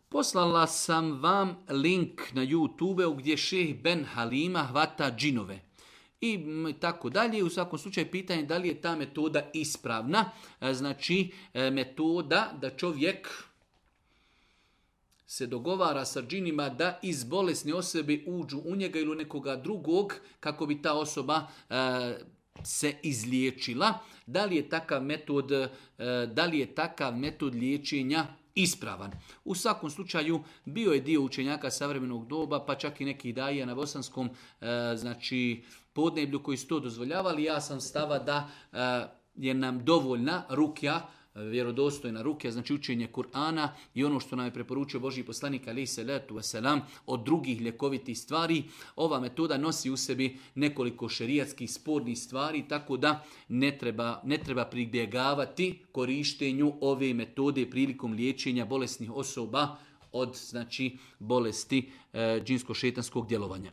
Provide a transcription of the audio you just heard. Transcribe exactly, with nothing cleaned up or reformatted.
Poslala sam vam link na YouTube gdje šejh Ben Halima hvata džinove. I tako dalje. U svakom slučaju pitanje da li je ta metoda ispravna. Znači metoda da čovjek se dogovara sa džinima da iz bolesne osobe uđu u njega ili u nekoga drugog kako bi ta osoba e, se izliječila. Da li je takav metod, e, da li je takav metod liječenja ispravan? U svakom slučaju bio je dio učenjaka savremenog doba, pa čak i nekih daija na bosanskom e, znači podneblju koji su to dozvoljavali. Ja sam stava da e, je nam dovoljna rukja, vjerodostojna rukja, znači učenje Kur'ana i ono što nam je preporučio Božji poslanik alejhi selatu vesselam od drugih ljekovitih stvari. Ova metoda nosi u sebi nekoliko šerijatskih spornih stvari, tako da ne treba, ne treba pribjegavati korištenju ove metode prilikom liječenja bolesnih osoba od znači bolesti e, džinsko-šetanskog djelovanja.